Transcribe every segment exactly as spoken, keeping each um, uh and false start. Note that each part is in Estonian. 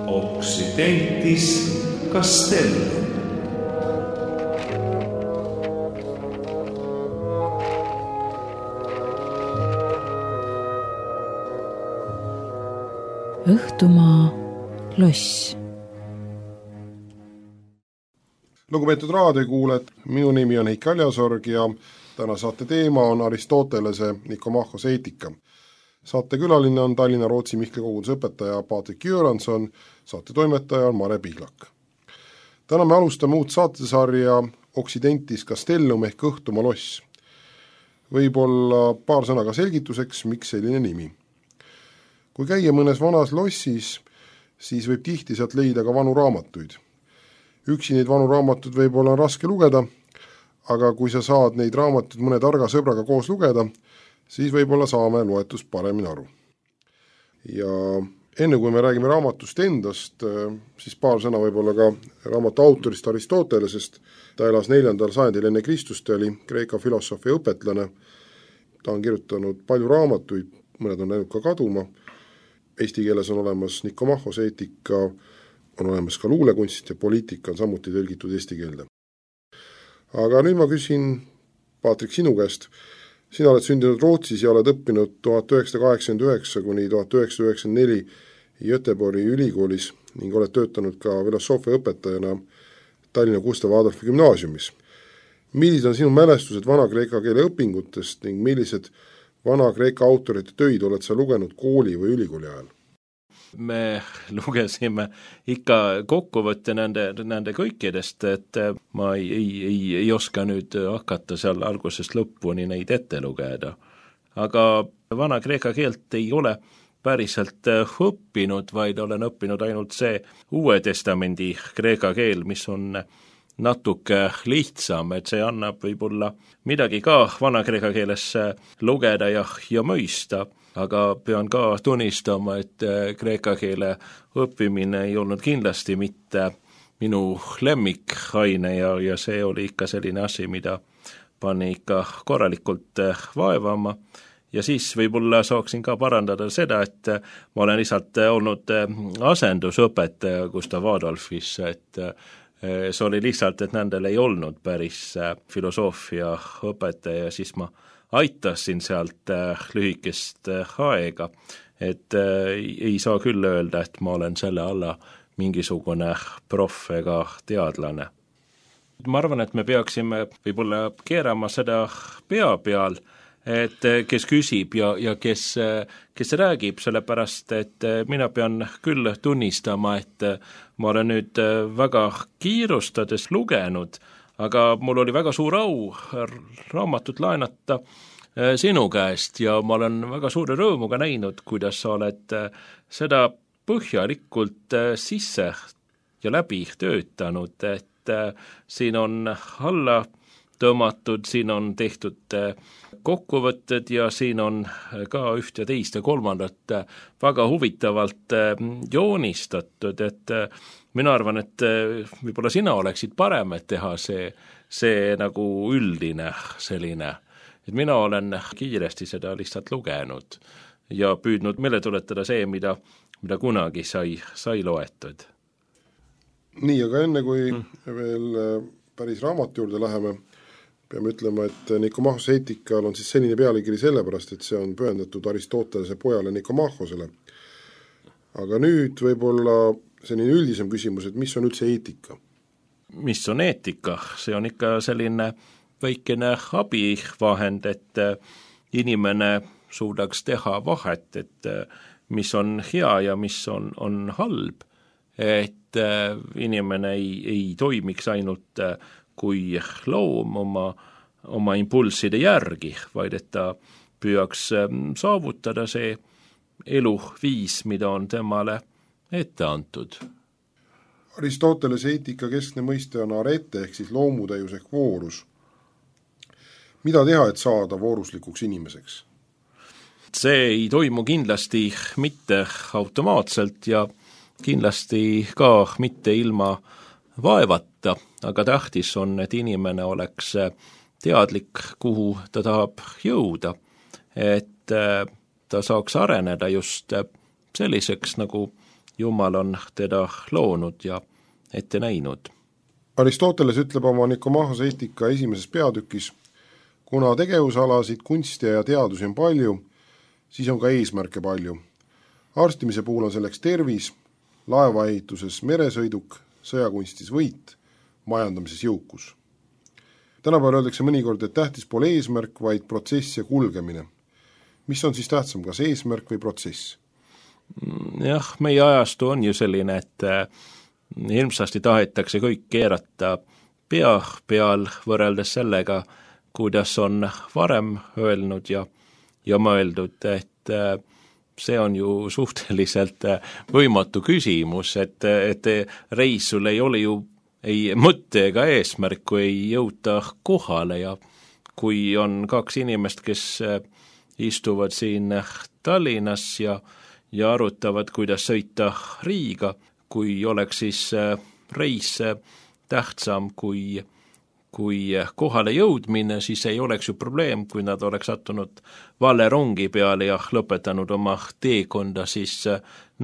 Occidentis Castellum. Õhtumaa loss. Lugupeetud raadiokuulajad, minu nimi on Heiki Aljasorg ja täna saate teema on Aristotelese Nikomachos eetika. Saate külaline on Tallinna Rootsi Mihkli koguduse õpetaja Patrik Göransson, saate toimetaja on Mare Pihlak. Täna me alustame uut saatesarja Occidentis Castellum ehk Õhtumaa loss. Võib-olla paar sõna ka selgituseks, miks selline nimi. Kui käia mõnes vanas lossis, siis võib tihti sealt leida ka vanu raamatuid. Üksi neid vanu raamatud võib-olla on raske lugeda, aga kui sa saad neid raamatuid mõne targa sõbraga koos lugeda, siis võib-olla saame loetust paremini aru. Ja enne kui me räägime raamatust endast, siis paar sõna võib-olla ka raamatu autorist Aristotelesest. Ta elas neljandal sajandil enne Kristust, ta oli Kreeka filosoofi õpetlane. Ta on kirjutanud palju raamatuid, mõned on läinud ka kaduma. Eesti keeles on olemas Nikomachos eetika, on olemas ka luulekunst ja poliitika on samuti tõlgitud eesti keelde. Aga nüüd ma küsin, Patrik, sinu käest. Sina oled sündinud Rootsis ja oled õppinud tuhat üheksasada kaheksakümmend üheksa kuni tuhat üheksasada üheksakümmend neli Göteborgi ülikoolis ning oled töötanud ka filosoofia õpetajana Tallinna Gustav Adolfi gümnaasiumis. Millised on sinu mälestused vana-kreeka keele õpingutest ning millised vana-kreeka autorite töid oled sa lugenud kooli või ülikooli ajal? Me lugesime ikka kokkuvõtte nende, nende kõikidest, et ma ei, ei, ei, ei oska nüüd hakata seal algusest lõpuni neid ette lugeda. Aga vana-kreeka keelt ei ole päriselt õppinud, vaid olen õppinud ainult see Uue Testamendi kreeka keel, mis on natuke lihtsam, et see annab võib-olla midagi ka vana-kreeka keeles lugeda ja, ja mõista, aga pean ka tunnistama, et kreeka keele õppimine ei olnud kindlasti mitte minu lemmikaine ja, ja see oli ikka selline asi, mida pani ikka korralikult vaevama. Ja siis võib-olla saaksin ka parandada seda, et ma olen lihtsalt olnud asendusõpetaja Gustav Adolfis, et see oli lihtsalt, et nendel ei olnud päris filosoofia õpetaja, siis ma aitasin sealt lühikest aega, et ei saa küll öelda, et ma olen selle alla mingisugune proff ega teadlane. Ma arvan, et me peaksime võib-olla keerama seda pea peal, et kes küsib ja, ja kes, kes räägib, sellepärast, et mina pean küll tunnistama, et ma olen nüüd väga kiirustades lugenud, aga mul oli väga suur au raamatut laenata sinu käest ja ma olen väga suure rõõmuga näinud, kuidas sa oled seda põhjalikult sisse ja läbi töötanud, et siin on alla tõmmatud, siin on tehtud kokkuvõtted ja siin on ka üht ja teist ja kolmandat väga huvitavalt joonistatud, et mina arvan, et võib-olla sina oleksid parem, et teha see, see nagu üldine selline, et mina olen kiiresti seda lihtsalt lugenud ja püüdnud meile tuletada see, mida, mida kunagi sai, sai loetud. Nii, aga enne kui mm. veel päris raamatu juurde läheme, peame ütlema, et Nikomachos eetikal on siis selline pealkiri sellepärast, et see on pühendatud Aristotelese pojale Nikomachosele. Aga nüüd võib-olla selline üldisem küsimus, et mis on üldse eetika? Mis on eetika? See on ikka selline väikene abivahend, et inimene suudaks teha vahet, et mis on hea ja mis on, on halb, et inimene ei, ei toimiks ainult kui loom oma, oma impulsside järgi, vaid et ta püüaks saavutada see eluviis, mida on temale ette antud. Aristotelese eetika keskne mõiste on arete ehk siis loomutäius ehk voorus. Mida teha, et saada vooruslikuks inimeseks? See ei toimu kindlasti mitte automaatselt ja kindlasti ka mitte ilma vaevata, aga tähtis on, et inimene oleks teadlik, kuhu ta tahab jõuda, et ta saaks areneda just selliseks, nagu Jumal on teda loonud ja ette näinud. Aristoteles ütleb oma Nikomahose eetika esimeses peatükis, kuna tegevusalasid, kunsti ja teadusi on palju, siis on ka eesmärke palju. Arstimise puhul on selleks tervis, laevaehituses meresõiduk, sõjakunstis võit, majandamises jõukus. Tänapäeval öeldakse mõnikord, et tähtis pole eesmärk, vaid protsess ja kulgemine. Mis on siis tähtsam, kas eesmärk või protsess? Jah, meie ajastu on ju selline, et ilmsasti tahetakse kõik keerata pea peal võrreldes sellega, kuidas on varem öelnud ja, ja mõeldud, et see on ju suhteliselt võimatu küsimus, et, et reis sul ei ole ju ei mõtte ega eesmärk, kui ei jõuta kohale ja kui on kaks inimest, kes istuvad siin Tallinnas ja, ja arutavad, kuidas sõita Riiga, kui oleks siis reis tähtsam kui, kui kohale jõudmine, siis ei oleks ju probleem, kui nad oleks sattunud vale rongi peale ja lõpetanud oma teekonda siis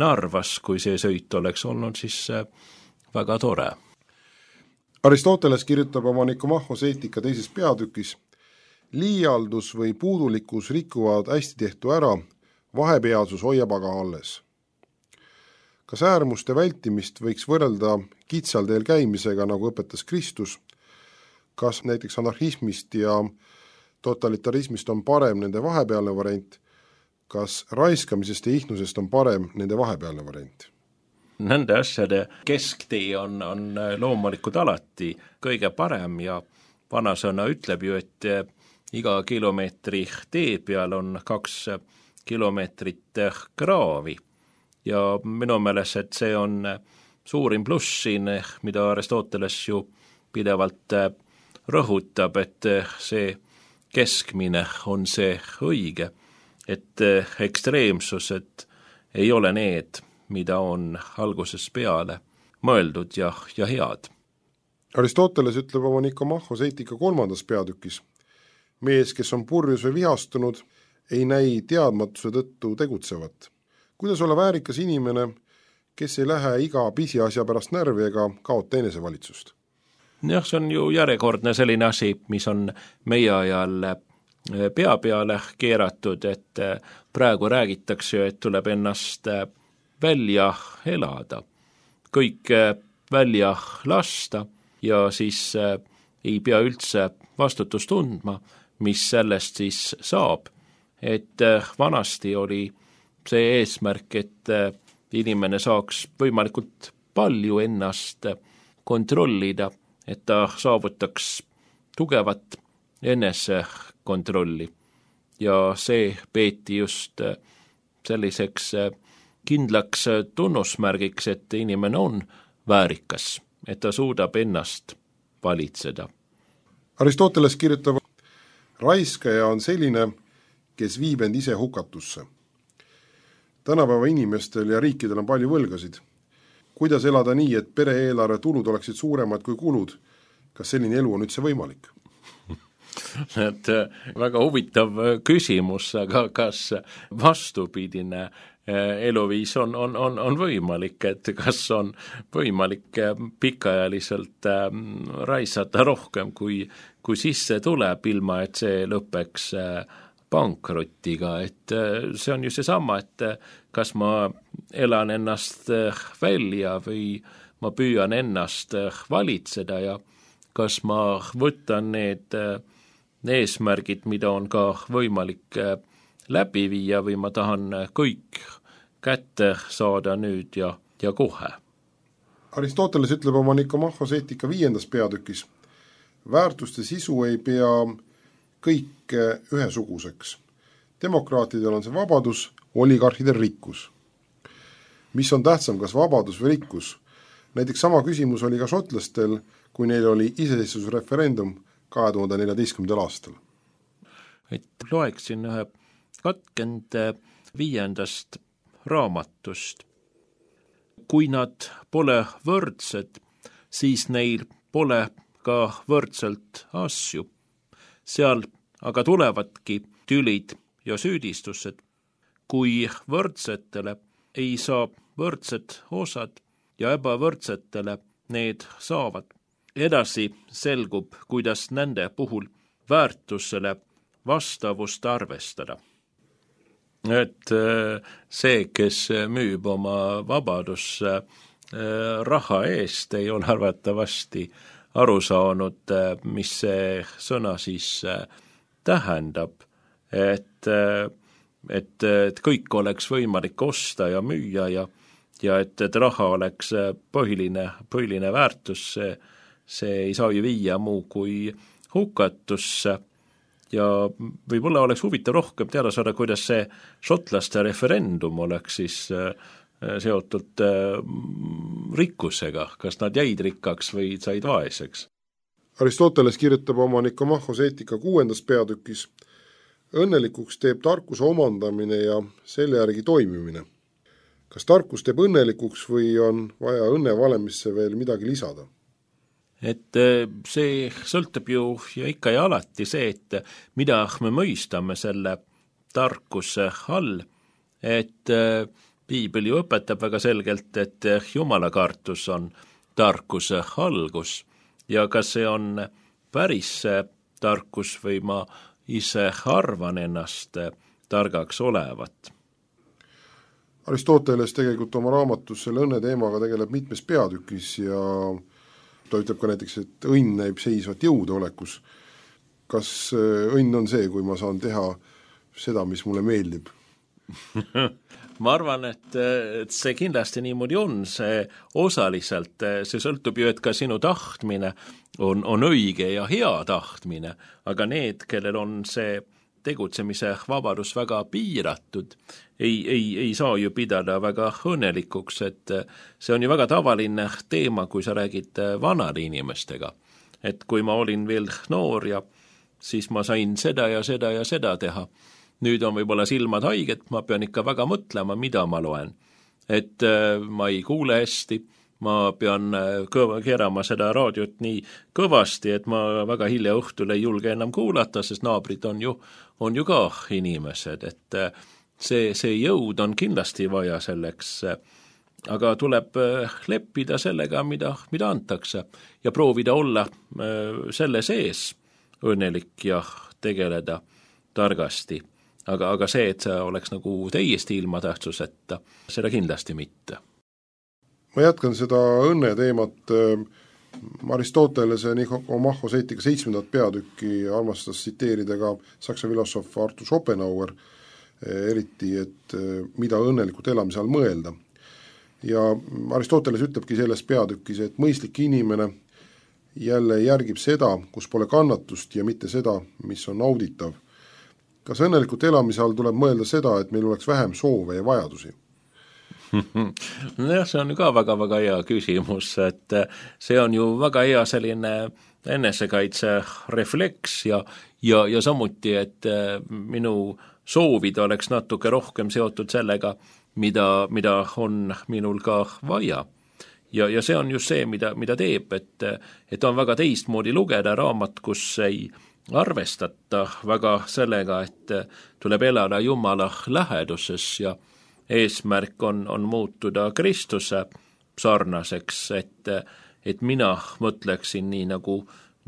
Narvas, kui see sõit oleks olnud siis väga tore. Aristoteles kirjutab oma Nikomahose eetika teises peatükis, liialdus või puudulikkus rikuvad hästi tehtu ära, vahepealsus hoiab aga alles. Kas äärmuste vältimist võiks võrrelda kitsal teel käimisega, nagu õpetas Kristus? Kas näiteks anarhismist ja totalitarismist on parem nende vahepealne variant? Kas raiskamisest ja ihnusest on parem nende vahepealne variant? Nende asjade kesktee on, on loomulikult alati kõige parem ja vanasõna ütleb ju, et iga kilomeetri tee peal on kaks kilomeetrit kraavi ja minu meelest, et see on suurim pluss siin, mida Aristoteles ju pidevalt rõhutab, et see keskmine on see õige, et ekstreemsused ei ole need, mida on algusest peale mõeldud ja, ja head. Aristoteles ütleb oma Nikomahose eetika kolmandas peatükis, mees, kes on purjus või vihastunud, ei näi teadmatuse tõttu tegutsevat. Kuidas olla väärikas inimene, kes ei lähe iga pisiasja pärast närvi ega kaota enesevalitsust? Jah, see on ju järjekordne selline asi, mis on meie ajal pea peale keeratud, et praegu räägitakse, et tuleb ennast välja elada, kõik välja lasta ja siis ei pea üldse vastutust tundma, mis sellest siis saab. Et vanasti oli see eesmärk, et inimene saaks võimalikult palju ennast kontrollida, et ta saavutaks tugevat enesekontrolli. Ja see peeti just selliseks kindlaks tunnusmärgiks, et inimene on väärikas, et ta suudab ennast valitseda. Aristoteles kirjutab, raiskaja on selline, kes viib end ise hukatusse. Tänapäeva inimestel ja riikidel on palju võlgasid. Kuidas elada nii, et pere-eelarve tulud oleksid suuremad kui kulud? Kas selline elu on üldse võimalik? Et väga huvitav küsimus, aga kas vastupidine eluviis on, on, on, on võimalik, et kas on võimalik pikaajaliselt raisata rohkem, kui, kui sisse tuleb, ilma et see lõpeks pankrotiga, et see on ju seesama, et kas ma elan ennast välja või ma püüan ennast valitseda ja kas ma võtan need eesmärgid, mida on ka võimalik läbi viia või ma tahan kõik kätte saada nüüd ja, ja kohe. Aristoteles ütleb oma Nikomahose eetika viiendas peatükis, väärtuste sisu ei pea kõik ühesuguseks. Demokraatidel on see vabadus, oligarhidel rikkus. Mis on tähtsam, kas vabadus või rikkus? Näiteks sama küsimus oli ka šotlastel, kui neil oli iseseisvusreferendum kahe tuhande neljateistkümnendal aastal. Et loeksin ühe katkend viiendast raamatust. Kui nad pole võrdsed, siis neil pole ka võrdselt asju. Seal aga tulevadki tülid ja süüdistused. Kui võrdsetele ei saa võrdsed osad ja ebavõrdsetele need saavad. Edasi selgub, kuidas nende puhul väärtusele vastavust arvestada. Et see, kes müüb oma vabadusse raha eest, ei ole arvatavasti aru saanud, mis see sõna siis tähendab, et, et, et kõik oleks võimalik osta ja müüa ja, ja et, et raha oleks põhiline, põhiline väärtus, see, see ei saa ju viia muu kui hukatusse. Ja võib-olla oleks huvitav rohkem teada saada, kuidas see šotlaste referendum oleks siis seotud rikkusega, kas nad jäid rikkaks või said vaeseks. Aristoteles kirjutab oma Nikomachos eetika kuuendas peatükis: õnnelikuks teeb tarkuse omandamine ja selle järgi toimimine. Kas tarkus teeb õnnelikuks või on vaja õnnevalemisse veel midagi lisada? Et see sõltub ju ja ikka ja alati see, et mida me mõistame selle tarkuse all, et Piibel ju õpetab väga selgelt, et jumalakartus on tarkuse algus ja kas see on päris tarkus või ma ise arvan ennast targaks olevat. Aristoteles tegelikult oma raamatus selle õnne teemaga tegeleb mitmes peatükis ja ta ütleb ka näiteks, et õnn näib seisvat jõude olekus. Kas õnn on see, kui ma saan teha seda, mis mulle meeldib? Ma arvan, et, et see kindlasti niimoodi on, see osaliselt, see sõltub ju, et ka sinu tahtmine on, on õige ja hea tahtmine, aga need, kellel on see tegutsemise vabadus väga piiratud, ei, ei, ei saa ju pidada väga õnnelikuks, et see on ju väga tavaline teema, kui sa räägid vanade inimestega. Et kui ma olin veel noor ja siis ma sain seda ja seda ja seda teha. Nüüd on võib-olla silmad haiget, ma pean ikka väga mõtlema, mida ma loen. Et ma ei kuule hästi, ma pean kõva, keerama seda raadiot nii kõvasti, et ma väga hilja õhtul ei julge enam kuulata, sest naabrid on ju, on ju ka inimesed, et see, see jõud on kindlasti vaja selleks, aga tuleb leppida sellega, mida, mida antakse ja proovida olla selle sees õnnelik ja tegeleda targasti. Aga, aga see, et see oleks nagu täiesti ilma tähtsuseta, seda kindlasti mitte. Ma jätkan seda õnne teemat. Aristotelese Nikomachos eetika seitsmendat peatükki armastas tsiteerida ka saksa filosoof Arthur Schopenhauer, eriti, et mida õnnelikult elamise all mõelda. Ja Aristoteles ütlebki selles peatükis, et mõistlik inimene jälle järgib seda, kus pole kannatust ja mitte seda, mis on nauditav. Kas õnnelikult elamise all tuleb mõelda seda, et meil oleks vähem soove ja vajadusi? No, see on ju ka väga-väga hea küsimus, et see on ju väga hea selline enesekaitse refleks ja, ja, ja samuti, et minu soovid oleks natuke rohkem seotud sellega, mida, mida on minul ka vaja. Ja, ja see on just see, mida, mida teeb, et, et on väga teistmoodi lugeda raamat, kus ei arvestata väga sellega, et tuleb elada Jumala läheduses ja eesmärk on, on muutuda Kristuse sarnaseks, et, et mina mõtleksin nii, nagu,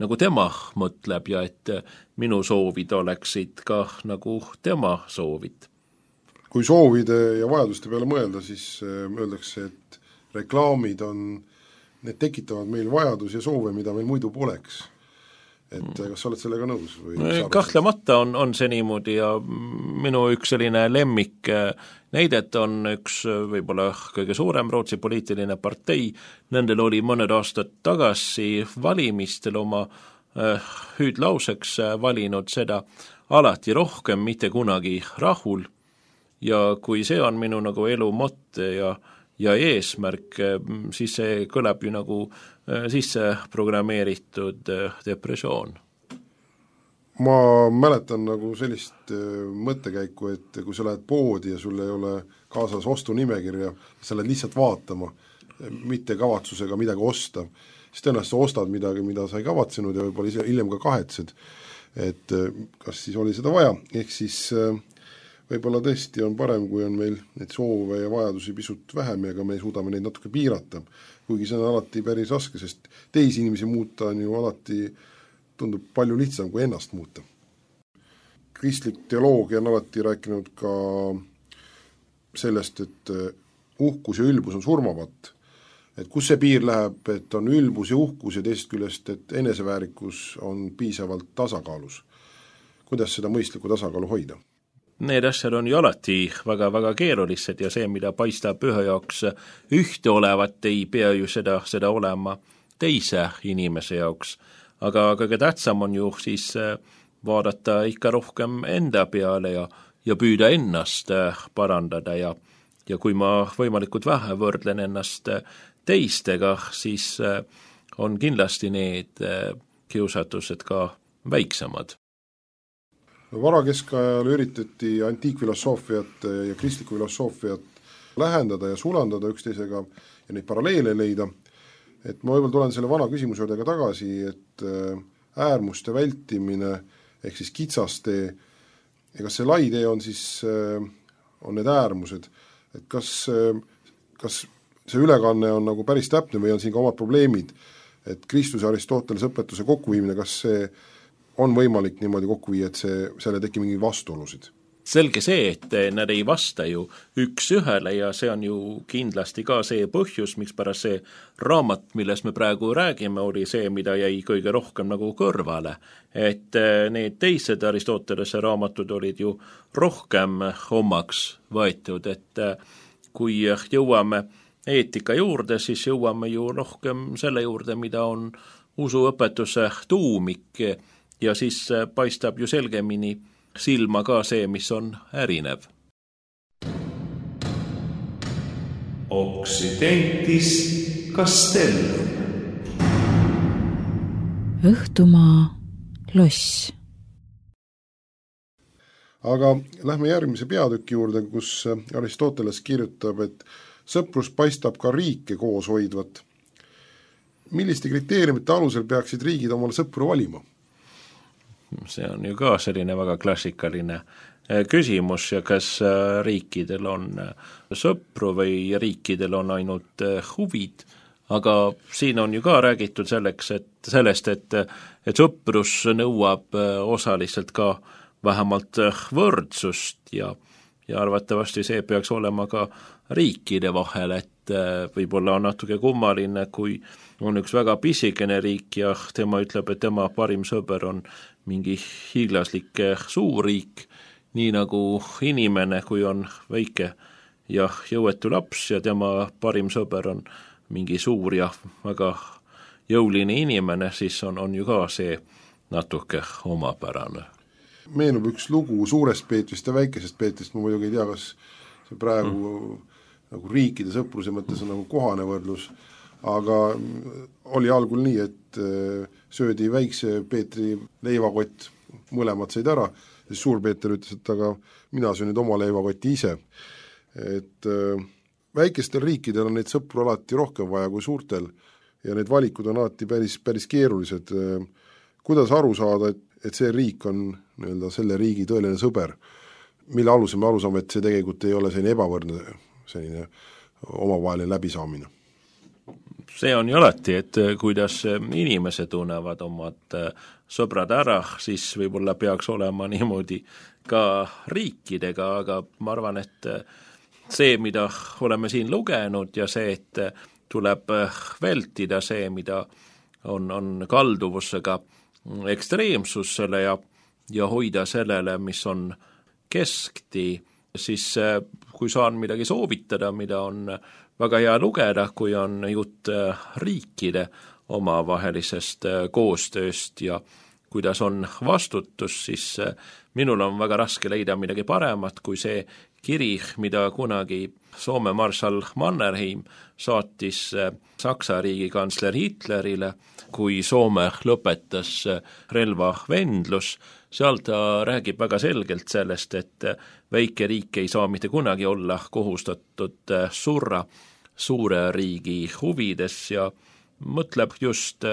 nagu tema mõtleb ja et minu soovid oleksid ka nagu tema soovid. Kui soovide ja vajaduste peale mõelda, siis öeldakse, et reklaamid on, need tekitavad meil vajadus ja soove, mida meil muidu poleks. Et kas sa oled sellega nõus? Või Kahtlemata on, on see niimoodi ja minu üks selline lemmik näidet on üks võib-olla kõige suurem Rootsi poliitiline partei. Nendel oli mõned aastad tagasi valimistel oma äh, hüüdlauseks valinud seda alati rohkem, mitte kunagi rahul. Ja kui see on minu nagu elu mõtte ja ja eesmärk, siis see kõlab ju nagu sisse programmeeritud depressioon. Ma mäletan nagu sellist mõttekäiku, et kui sa lähed poodi ja sul ei ole kaasas ostunimekirja, sa lähed lihtsalt vaatama, mitte kavatsusega midagi osta, siis tõenäoliselt sa ostad midagi, mida sa ei kavatsenud ja võib-olla hiljem ka kahetsed, et kas siis oli seda vaja, ehk siis võib-olla tõesti on parem, kui on meil neid soove ja vajadusi pisut vähem ja ka me suudame neid natuke piirata, kuigi see on alati päris raske, sest teisi inimesi muuta on ju alati, tundub palju lihtsam kui ennast muuta. Kristlik teoloogia on alati rääkinud ka sellest, et uhkus ja ülbus on surmavat. Et kus see piir läheb, et on ülbus ja uhkus ja teisest küljest, et eneseväärikus on piisavalt tasakaalus. Kuidas seda mõistlikku tasakaalu hoida? Need asjad on ju alati väga-väga keerulised ja see, mida paistab ühe jaoks ühte olevat, ei pea ju seda, seda olema teise inimese jaoks. Aga kõige tähtsam on ju siis vaadata ikka rohkem enda peale ja, ja püüda ennast parandada ja, ja kui ma võimalikult vähe võrdlen ennast teistega, siis on kindlasti need kiusatused ka väiksemad. Varakeskajal üritati antiikfilosoofiat ja kristlikku filosoofiat lähendada ja sulandada üksteisega ja neid paralleele leida. Et ma võib-olla tulen selle vana küsimuse juurde ka tagasi, et äärmuste vältimine ehk siis kitsastee ja kas see lai tee on siis on need äärmused, et kas, kas see ülekanne on nagu päris täpne või on siin ka omad probleemid, et Kristuse Aristotelese õpetuse kokkuviimine, kas see on võimalik niimoodi kokku viia, et see, selle teki mingi vastuolusid? Selge see, et nad ei vasta ju üks ühele ja see on ju kindlasti ka see põhjus, miks pärast see raamat, milles me praegu räägime, oli see, mida jäi kõige rohkem nagu kõrvale. Et need teised Aristotelese raamatud olid ju rohkem omaks võetud, et kui jõuame eetika juurde, siis jõuame ju rohkem selle juurde, mida on usuõpetuse tuumik ja siis paistab ju selgemini silma ka see, mis on ärinev. Occidentis Castellum. Õhtumaa loss. Aga lähme järgmise peatüki juurde, kus Aristoteles kirjutab, et sõprus paistab ka riike koos hoidvat. Milliste kriteeriumite alusel peaksid riigid omale sõpru valima? See on ju ka selline väga klassikaline küsimus ja kas riikidel on sõpru või riikidel on ainult huvid, aga siin on ju ka räägitud selleks, et sellest, et, et sõprus nõuab osaliselt ka vähemalt võrdsust ja, ja arvatavasti see peaks olema ka riikide vahel, et võib-olla on natuke kummaline, kui on üks väga pisikene riik ja tema ütleb, et tema parim sõber on mingi hiiglaslik suurriik, nii nagu inimene, kui on väike ja jõuetu laps ja tema parim sõber on mingi suur ja väga jõuline inimene, siis on, on ju ka see natuke omapärane. Meenub üks lugu suurest Peetrist ja väikesest Peetrist, ma muidugi ei tea, kas see praegu mm. nagu riikide sõpruse mõttes on nagu kohane võrdlus, aga oli algul nii, et söödi väikse Peetri leivakott, mõlemad said ära, siis suur Peeter ütles, et aga mina söön nüüd oma leivakotti ise. Et väikestel riikidel on neid sõpru alati rohkem vaja kui suurtel ja need valikud on alati päris, päris keerulised. Kuidas aru saada, et, et see riik on nii-öelda selle riigi tõeline sõber, mille alusel me aru saame, et see tegelikult ei ole selline ebavõrdne selline omavaheline läbisaamine? See on ju alati, et kuidas inimesed tunnevad omad sõbrad ära, siis võib-olla peaks olema niimoodi ka riikidega, aga ma arvan, et see, mida oleme siin lugenud ja see, et tuleb vältida see, mida on, on kalduvusega ekstreemsusele ja, ja hoida sellele, mis on keskti, siis kui saan midagi soovitada, mida on väga hea lugeda, kui on jutt riikide omavahelisest koostööst ja kuidas on vastutus, siis minul on väga raske leida midagi paremat kui see kiri, mida kunagi Soome marssal Mannerheim saatis Saksa riigikantsler Hitlerile, kui Soome lõpetas relvavendlus. Seal ta räägib väga selgelt sellest, et väike riik ei saa mitte kunagi olla kohustatud surra suure riigi huvides ja mõtleb just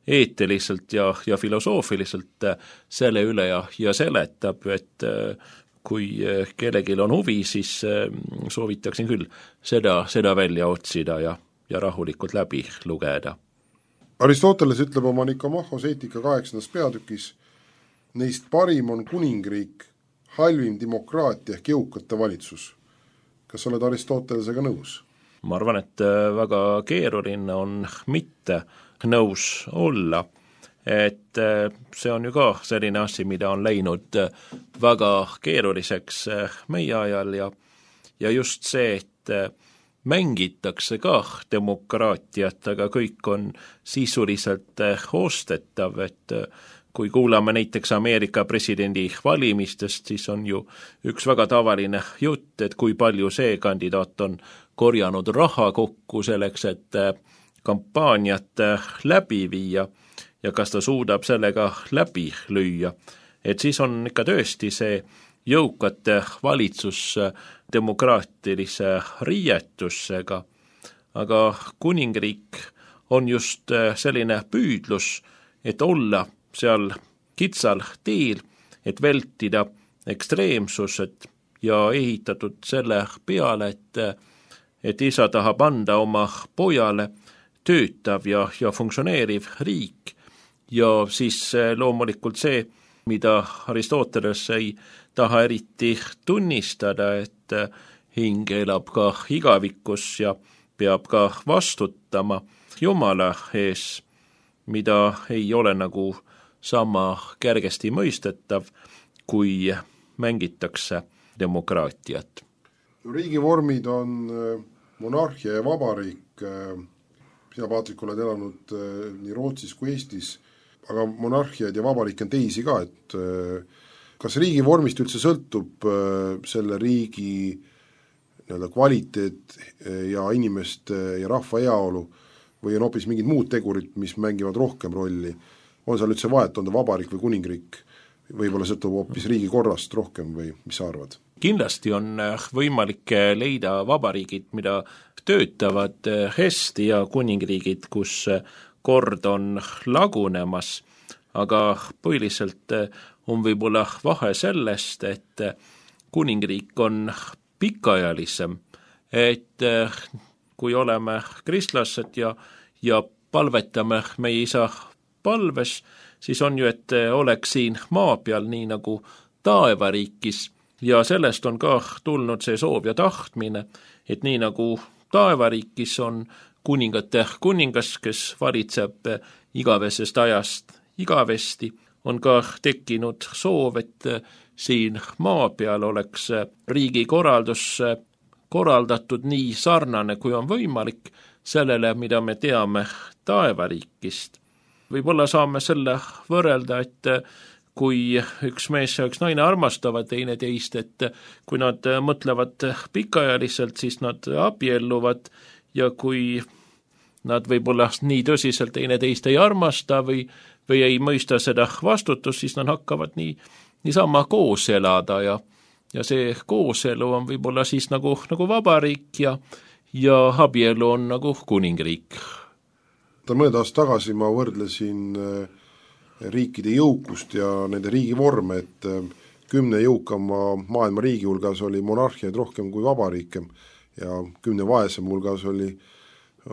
eetiliselt ja, ja filosoofiliselt selle üle ja, ja seletab, et kui kellelgi on huvi, siis soovitaksin küll seda, seda välja otsida ja, ja rahulikult läbi lugeda. Aristoteles ütleb oma Nikomahos eetika kaheksandas peatükis, neist parim on kuningriik, halvim demokraatia ehk jõukate valitsus. Kas sa oled Aristotelesega nõus? Ma arvan, et väga keeruline on mitte nõus olla, et see on ju ka selline asi, mida on läinud väga keeruliseks meie ajal ja, ja just see, et mängitakse ka demokraatiat, aga kõik on sisuliselt ostetav, et kui kuulame näiteks Ameerika presidendi valimistest, siis on ju üks väga tavaline jutt, et kui palju see kandidaat on korjanud raha kokku selleks, et kampaaniat läbi viia ja kas ta suudab sellega läbi lüüa. Et siis on ikka tõesti see jõukate valitsus demokraatilise riietusega, aga kuningriik on just selline püüdlus, et olla seal kitsal teel, et vältida ekstreemsused ja ehitatud selle peale, et, et isa tahab anda oma pojale töötav ja, ja funktsioneeriv riik ja siis loomulikult see, mida Aristoteles ei taha eriti tunnistada, et hing elab ka igavikus ja peab ka vastutama Jumala ees, mida ei ole nagu sama kergesti mõistetav, kui mängitakse demokraatiat. Riigivormid on monarhia ja vabariik, sina Paatrik oled elanud nii Rootsis kui Eestis, aga monarhiaid ja vabariik on teisi ka, et kas riigivormist üldse sõltub selle riigi nii-öelda kvaliteet ja inimeste ja rahva heaolu või on hoopis mingid muud tegurid, mis mängivad rohkem rolli? On seal üldse vahet, on ta vabariik või kuningriik? Võib-olla sõltub hoopis riigi korrast rohkem või mis sa arvad? Kindlasti on võimalik leida vabariigid, mida töötavad hästi ja kuningriigid, kus kord on lagunemas, aga põhiliselt on võib-olla vahe sellest, et kuningriik on pikaajalisem, et kui oleme kristlased ja, ja palvetame meie isa palves, siis on ju, et oleks siin maa peal nii nagu taevariikis ja sellest on ka tulnud see soov ja tahtmine, et nii nagu taevariikis on kuningate kuningas, kes valitseb igavesest ajast igavesti, on ka tekkinud soov, et siin maa peal oleks riigi korraldus korraldatud nii sarnane, kui on võimalik sellele, mida me teame taevariikist. Võib-olla saame selle võrrelda, et kui üks mees ja üks naine armastavad teine teist, et kui nad mõtlevad pikaajaliselt, siis nad abielluvad ja kui nad võib-olla nii tõsiselt teine teist ei armasta või, või ei mõista seda vastutust, siis nad hakkavad nii, niisama koos elada ja, ja see kooselu on võib-olla siis nagu, nagu vabariik ja, ja abielu on nagu kuningriik. Mõned aasta tagasi ma võrdlesin riikide jõukust ja nende riigivorme, et kümne jõukama maailma riigi hulgas oli monarhiaid rohkem kui vabariike ja kümne vaesem hulgas oli,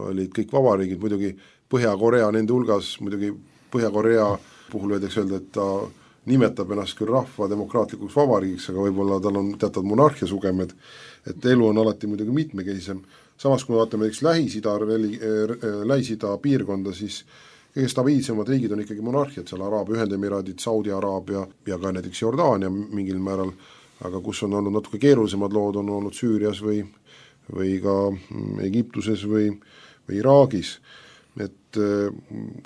olid kõik vabariigid, muidugi Põhja-Korea nende hulgas, muidugi Põhja-Korea puhul võidaks öelda, et ta nimetab ennast küll rahva demokraatlikuks vabariigiks, aga võib-olla tal on teatud monarhia sugemed, et elu on alati muidugi mitmekesisem. Samas, kui me vaatame näiteks Lähis-Ida, Lähis-Ida piirkonda, siis kõige stabiilsemad riigid on ikkagi monarhiad, seal Araabia Ühendemiraadid, Saudi Araabia ja ka näiteks Jordaania mingil määral, aga kus on olnud natuke keerulisemad lood, on olnud Süürias või, või ka Egiptuses või, või Iraagis. Et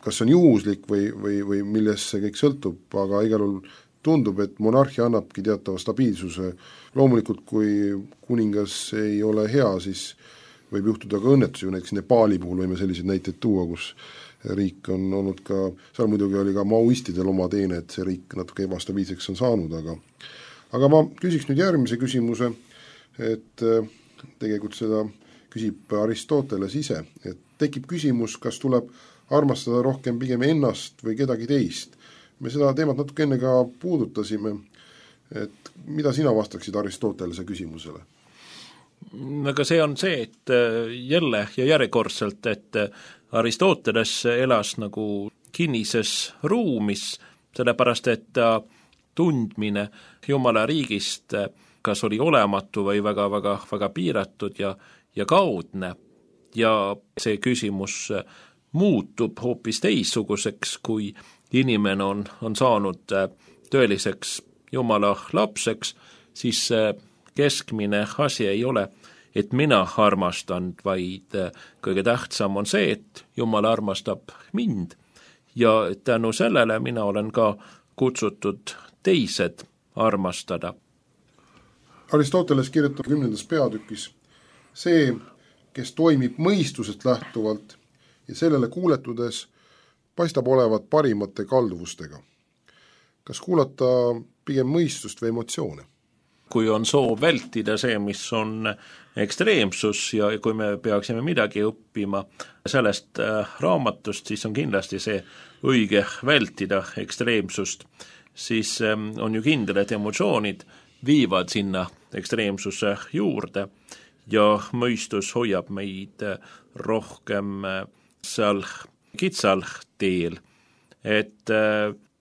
kas on juhuslik või, või, või millest see kõik sõltub, aga igal juhul tundub, et monarhia annabki teatava stabiilsuse. Loomulikult, kui kuningas ei ole hea, siis võib juhtuda ka õnnetusi, näiteks Nepaali puhul võime selliseid näiteid tuua, kus riik on olnud ka, seal muidugi oli ka maoistidel oma teene, et see riik natuke ebastabiilseks on saanud, aga aga ma küsiks nüüd järgmise küsimuse, et tegelikult seda küsib Aristoteles ise, et tekib küsimus, kas tuleb armastada rohkem pigem ennast või kedagi teist. Me seda teemat natuke enne ka puudutasime, et mida sina vastaksid Aristotelese küsimusele? Aga see on see, et jälle ja järjekordselt, et Aristoteles elas nagu kinnises ruumis, sellepärast et ta tundmine Jumala riigist kas oli olematu või väga, väga, väga piiratud ja, ja kaudne. Ja see küsimus muutub hoopis teissuguseks, kui inimene on, on saanud tõeliseks Jumala lapseks, siis keskmine asi ei ole, et mina armastan, vaid kõige tähtsam on see, et Jumal armastab mind ja tänu sellele mina olen ka kutsutud teised armastada. Aristoteles kirjutab kümnendas peatükis, see, kes toimib mõistusest lähtuvalt ja sellele kuuletudes paistab olevat parimate kalduvustega. Kas kuulata pigem mõistust või emotsioone? Kui on soov vältida see, mis on ekstreemsus ja kui me peaksime midagi õppima sellest raamatust, siis on kindlasti see õige vältida ekstreemsust, siis on ju kindel, et emotsioonid viivad sinna ekstreemsuse juurde ja mõistus hoiab meid rohkem seal kitsal teel, et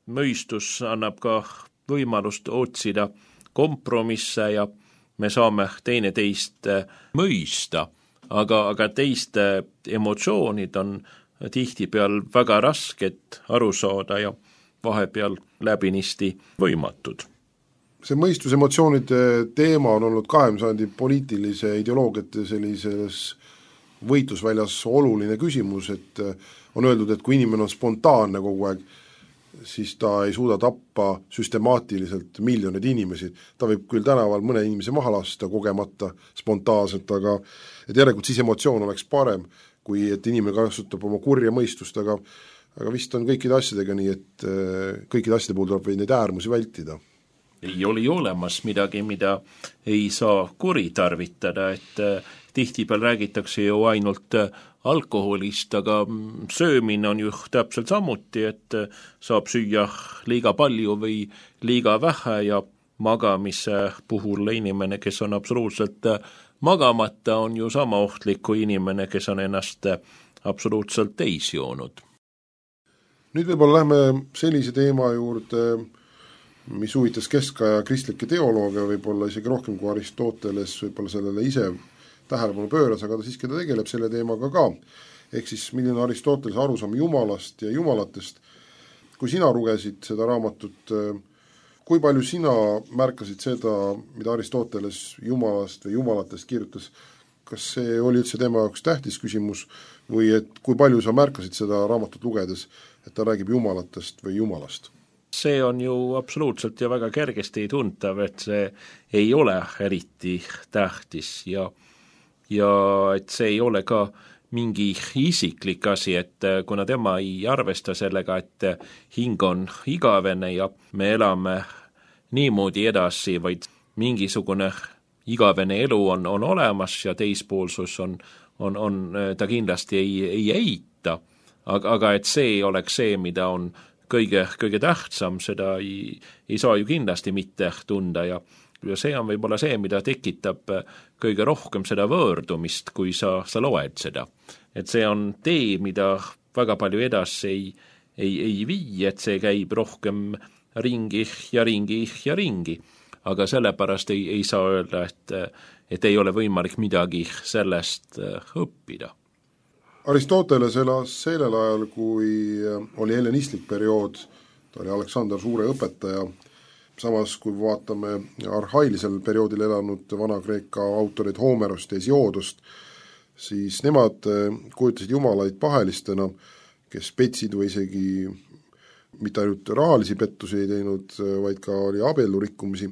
mõistus annab ka võimalust otsida kompromisse ja me saame teine teist mõista, aga, aga teiste emotsioonid on tihtipeal väga rasked aru saada ja vahepeal läbinisti võimatud. See mõistusemotsioonide teema on olnud kahekümnenda sajandi poliitilise ideoloogiate sellises võitlusväljas oluline küsimus, et on öeldud, et kui inimene on spontaanne kogu aeg, siis ta ei suuda tappa süstemaatiliselt miljoneid inimesi. Ta võib küll tänaval mõne inimese maha lasta kogemata spontaanselt, aga et järelikult siis emotsioon oleks parem, kui et inimene kasutab oma kurja mõistust, aga, aga vist on kõikide asjadega nii, et kõikide asjade puhul tuleb neid äärmusi vältida. Ei ole olemas midagi, mida ei saa kuritarvitada, et tihtipeal räägitakse ju ainult alkoholist, aga söömine on ju täpselt samuti, et saab süüa liiga palju või liiga vähe ja magamise puhul inimene, kes on absoluutselt magamata, on ju sama ohtlik kui inimene, kes on ennast absoluutselt täis joonud. Nüüd võib-olla lähme sellise teema juurde, mis huvitas keskaja kristlikke teolooge, võib-olla isegi rohkem kui Aristoteles, võib-olla sellele ise tähelepanu pööras, aga ta siiski ta tegeleb selle teemaga ka. Ehk siis milline Aristoteles arusaam Jumalast ja Jumalatest. Kui sina lugesid seda raamatut, kui palju sina märkasid seda, mida Aristoteles Jumalast või Jumalatest kirjutas? Kas see oli üldse tema jaoks tähtis küsimus või et kui palju sa märkasid seda raamatut lugedes, et ta räägib Jumalatest või Jumalast? See on ju absoluutselt ja väga kergesti tuntav, et see ei ole eriti tähtis ja ja et see ei ole ka mingi isiklik asi, et kuna tema ei arvesta sellega, et hing on igavene ja me elame niimoodi edasi, vaid mingisugune igavene elu on, on olemas ja teispoolsus on, on, on ta kindlasti ei, ei eita, aga, aga et see oleks see, mida on kõige, kõige tähtsam, seda ei, ei saa ju kindlasti mitte tunda ja ja see on võib-olla see, mida tekitab kõige rohkem seda võõrdumist, kui sa, sa loed seda. Et see on tee, mida väga palju edasi ei, ei, ei vii, et see käib rohkem ringi ja ringi ja ringi. Aga sellepärast ei, ei saa öelda, et, et ei ole võimalik midagi sellest õppida. Aristoteles elas sellel ajal, kui oli hellenistlik periood, ta oli Aleksander Suure õpetaja. Samas, kui vaatame arhailisel perioodil elanud Vana-Kreeka autorid Homerost ja Hesioodost, siis nemad kujutasid jumalaid pahelistena, kes petsid või isegi mitte ainult rahalisi pettusi ei teinud, vaid ka oli abielurikkumisi.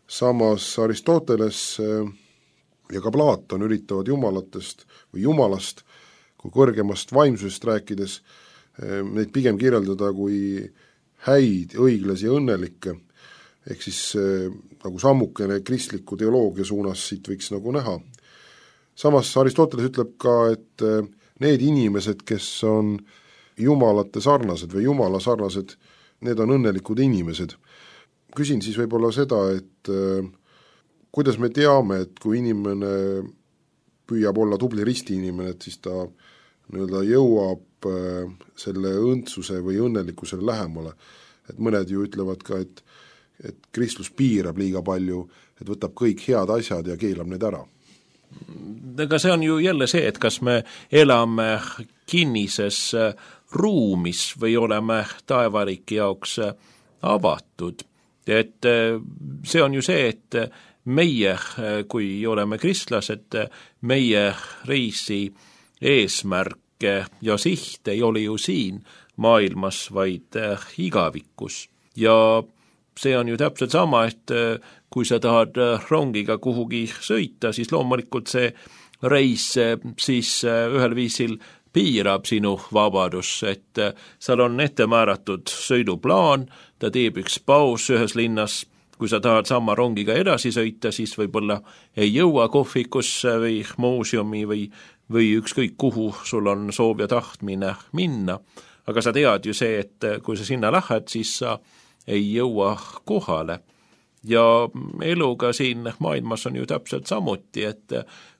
Samas Aristoteles ja ka Platon üritavad jumalatest või jumalast kui kõrgemast vaimsusest rääkides neid pigem kirjeldada kui häid, õiglasi ja õnnelikke. Ehk siis äh, nagu sammukene kristliku teoloogia suunas siit võiks nagu näha. Samas Aristoteles ütleb ka, et äh, need inimesed, kes on jumalate sarnased või jumala sarnased, need on õnnelikud inimesed. küsin siis võib-olla seda, et äh, kuidas me teame, et kui inimene püüab olla tubli risti inimene, et siis ta nii-öelda jõuab äh, selle õndsuse või õnnelikkusele lähemale. Et mõned ju ütlevad ka, et, et kristlus piirab liiga palju, et võtab kõik head asjad ja keelab need ära. Aga see on ju jälle see, et kas me elame kinnises ruumis või oleme taevariki jaoks avatud. Et see on ju see, et meie, kui oleme kristlased, meie reisi eesmärke ja siht ei ole ju siin maailmas, vaid igavikus. Ja see on ju täpselt sama, et kui sa tahad rongiga kuhugi sõita, siis loomulikult see reis siis ühel viisil piirab sinu vabadus, et seal on ette määratud sõiduplaan, ta teeb üks paus ühes linnas, kui sa tahad sama rongiga edasi sõita, siis võib-olla ei jõua kohvikusse või muuseumi või, või ükskõik kuhu sul on soov ja tahtmine minna. Aga sa tead ju see, et kui sa sinna lähed, siis sa ei jõua kohale. Ja eluga siin maailmas on ju täpselt samuti, et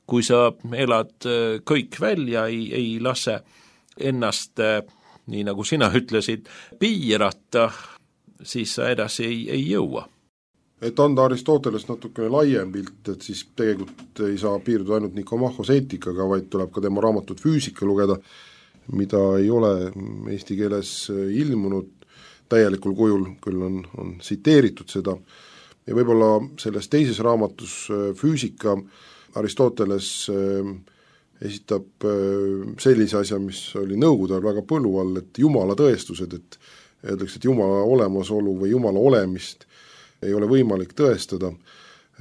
kui sa elad kõik välja, ei, ei lase ennast, nii nagu sina ütlesid, piirata, siis sa edasi ei, ei jõua. Et anda Aristotelest natukene laiem pilt, et siis tegelikult ei saa piirduda ainult Nikomachos eetikaga, vaid tuleb ka tema raamatut Füüsika lugeda, mida ei ole eesti keeles ilmunud täielikul kujul, küll on, on tsiteeritud seda. Ja võib-olla selles teises raamatus Füüsika Aristoteles esitab sellise asja, mis oli nõukogude ajal väga põlu all, et jumala tõestused, et öeldakse, et jumala olemasolu või jumala olemist ei ole võimalik tõestada.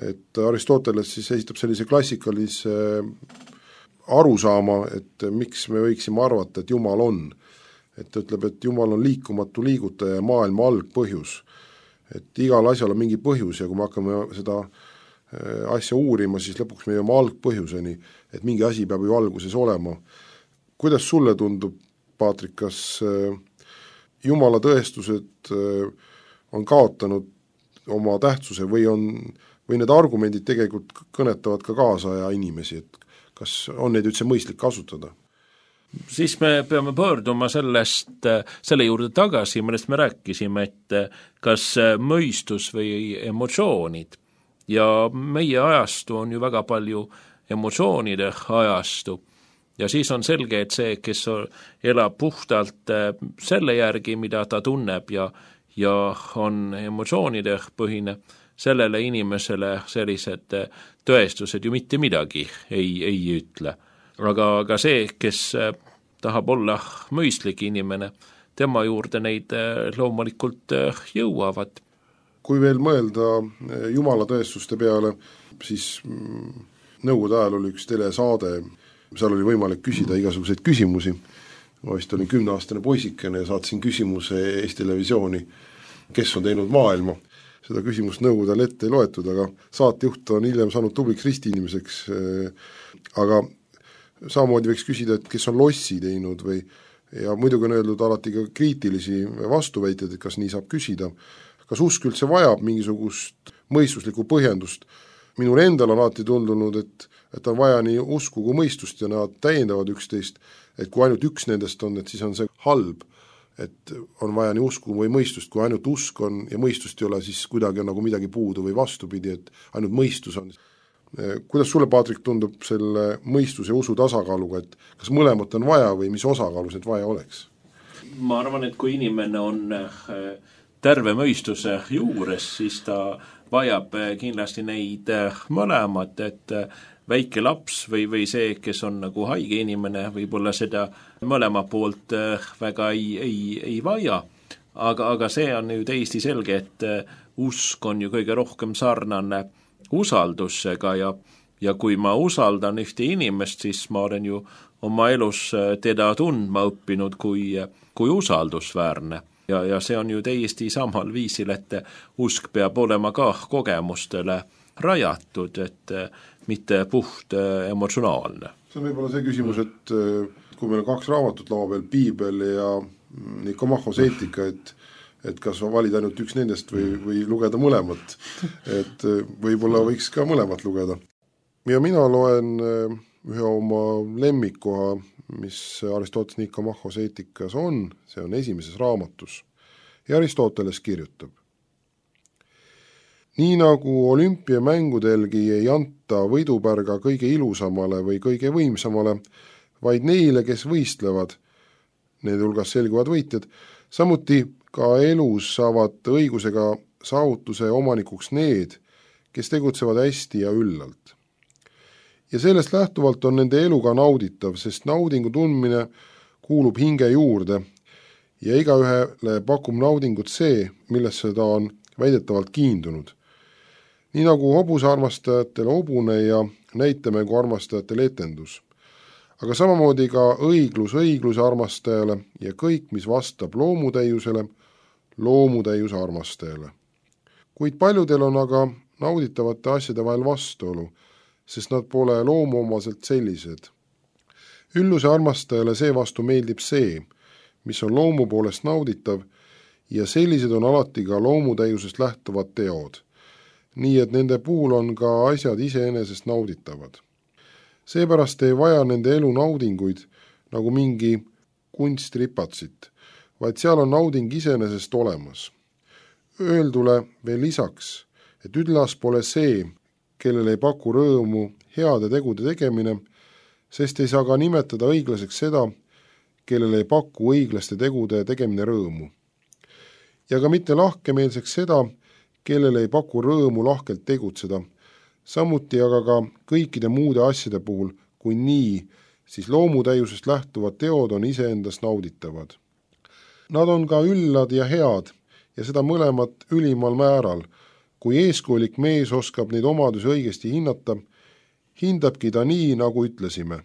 Et Aristoteles siis esitab sellise klassikalise arusaama, et miks me võiksime arvata, et jumal on. Et ta ütleb, et jumal on liikumatu liigutaja ja maailma algpõhjus. Et igal asjal on mingi põhjus ja kui me hakkame seda asja uurima, siis lõpuks me jõuame algpõhjuseni, et mingi asi peab ju alguses olema. Kuidas sulle tundub, Paatrik, kas jumala tõestused on kaotanud oma tähtsuse või, on, või need argumendid tegelikult kõnetavad ka kaasaja inimesi, et kas on neid üldse mõistlik kasutada? Siis me peame pöörduma sellest, selle juurde tagasi, millest me rääkisime, et kas mõistus või emotsioonid. Ja meie ajastu on ju väga palju emotsioonide ajastu. Ja siis on selge, et see, kes elab puhtalt selle järgi, mida ta tunneb ja, ja on emotsioonide põhine, sellele inimesele sellised tõestused ju mitte midagi ei, ei ütle. Aga, aga see, kes tahab olla mõistlik inimene, tema juurde neid loomulikult jõuavad. Kui veel mõelda jumala tõestuste peale, siis nõukogude ajal oli üks telesaade, seal oli võimalik küsida igasuguseid küsimusi. Ma vist olin kümneaastane poisikene ja saatsin küsimuse Eesti Televisiooni, kes on teinud maailma. Seda küsimust nõukogude ajal ette ei loetud, aga saatejuht on hiljem saanud tubliks risti inimeseks, aga samamoodi võiks küsida, et kes on lossi teinud või, ja muidugi on öeldud alati ka kriitilisi vastuväiteid, et kas nii saab küsida. Kas usk üldse vajab mingisugust mõistuslikku põhjendust? Minul endal on alati tundunud, et, et on vaja nii usku kui mõistust ja nad täiendavad üksteist, et kui ainult üks nendest on, et siis on see halb, et on vaja nii usku või mõistust, kui ainult usk on ja mõistust ei ole, siis kuidagi on nagu midagi puudu või vastupidi, et ainult mõistus on. Kuidas sulle, Paatrik, tundub selle mõistus ja usu tasakaaluga, et kas mõlemat on vaja või mis osakaalus need vaja oleks? Ma arvan, et kui inimene on terve mõistuse juures, siis ta vajab kindlasti neid mõlemat, et väike laps või, või see, kes on nagu haige inimene, võib-olla seda mõlema poolt väga ei, ei, ei vaja. Aga, aga see on ju täiesti selge, et usk on ju kõige rohkem sarnane usaldusega ja, ja kui ma usaldan ühte inimest, siis ma olen ju oma elus teda tundma õppinud kui, kui usaldusväärne. Ja, ja see on ju täiesti samal viisil, et usk peab olema ka kogemustele rajatud, et mitte puht emotsionaalne. See on võib-olla see küsimus, et kui meil on kaks raamatut laua peal, Piibel ja Nikomachos eetika, et, et kas valida ainult üks nendest või, või lugeda mõlemat. Et võib-olla võiks ka mõlemat lugeda. Ja mina loen ühe oma lemmikoha, mis Aristoteles Nikomachos eetikas on, see on esimeses raamatus. Ja Aristoteles kirjutab. Nii nagu olümpiamängudelgi ei anta võidupärga kõige ilusamale või kõige võimsamale, vaid neile, kes võistlevad, need hulgas selguvad võitjad, samuti ka elus saavad õigusega saavutuse omanikuks need, kes tegutsevad hästi ja üllalt. Ja sellest lähtuvalt on nende eluga nauditav, sest naudingu tundmine kuulub hinge juurde ja igaühele pakub naudingut see, millesse ta on väidetavalt kiindunud. Nii nagu hobuse armastajatele hobune ja näitemängu armastajatele etendus. Aga samamoodi ka õiglus õigluse armastajale ja kõik, mis vastab loomutäiusele, loomutäiuse armastajale. Kuid paljudel on aga nauditavate asjade vahel vastuolu, sest nad pole loomuomaselt sellised. Ülluse armastajale seevastu meeldib see, mis on loomu poolest nauditav ja sellised on alati ka loomutäiusest lähtuvad teod, nii et nende puhul on ka asjad iseenesest nauditavad. Seepärast ei vaja nende elu naudinguid nagu mingi kunstripatsit, vaid seal on nauding iseenesest olemas. Öeldule veel lisaks, et üdlas pole see, kellel ei paku rõõmu heade tegude tegemine, sest ei saa ka nimetada õiglaseks seda, kellel ei paku õiglaste tegude tegemine rõõmu. Ja ka mitte lahkemeelseks seda, kellel ei paku rõõmu lahkelt tegutseda, samuti aga ka kõikide muude asjade puhul, kui nii, siis loomutäiusest lähtuvad teod on iseendast nauditavad. Nad on ka üllad ja head ja seda mõlemat ülimal määral. Kui eeskujulik mees oskab neid omadusi õigesti hinnata, hindabki ta nii, nagu ütlesime.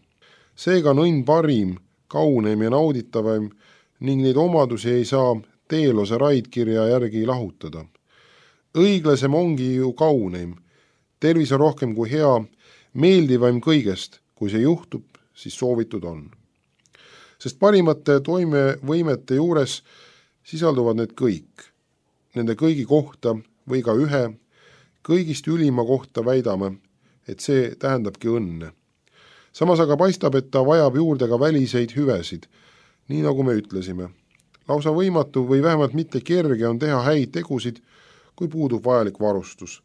Seega on õnn parim, kauneim ja nauditavaim ning neid omadusi ei saa teelose raidkirja järgi lahutada. Õiglasem ongi ju kauneim, tervis on rohkem kui hea, meeldivaim kõigest, kui see juhtub, siis soovitud on. Sest parimate toimevõimete juures sisalduvad need kõik. Nende kõigi kohta või ka ühe, kõigist ülima kohta väidame, et see tähendabki õnne. Samas aga paistab, et ta vajab juurde ka väliseid hüvesid, nii nagu me ütlesime. Lausa võimatu või vähemalt mitte kerge on teha häid tegusid, kui puudub vajalik varustus.